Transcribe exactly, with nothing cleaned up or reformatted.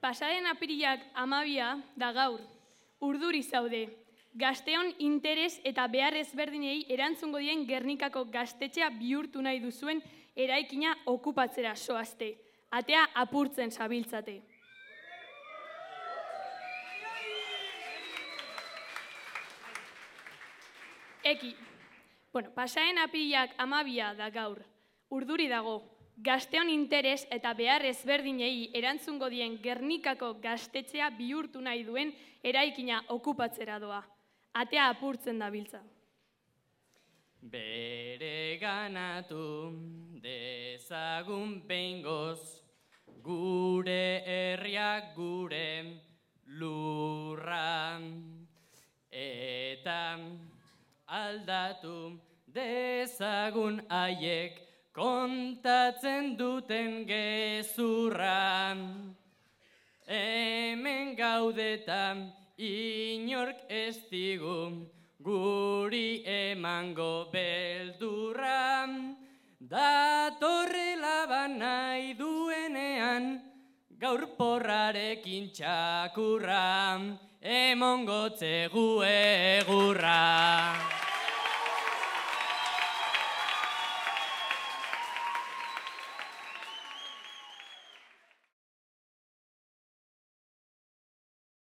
Pasaren apirilak amabia da gaur, urduri zaude. Gazteon interes eta behar ezberdinei erantzungo dien Gernikako gaztetxea bihurtu nahi duzuen eraikina okupatzera zoazte. Atea apurtzen zabiltzate. Eki, bueno, pasaren apirilak amabia da gaur, urduri dago. Gazteon interes eta behar ezberdinei erantzungo dien Gernikako gaztetxea bihurtu nahi duen eraikina okupatzera doa. Atea apurtzen dabiltza. Bere ganatu dezagun behingoz, gure herriak gure lurra, eta aldatu dezagun haiek kontatzen duten gezurra. Hemen gaudetan inork ez digu guri emango beldurra. Datorrela banai duenean gaur porrarekin txakurra, emongotze gu egurra.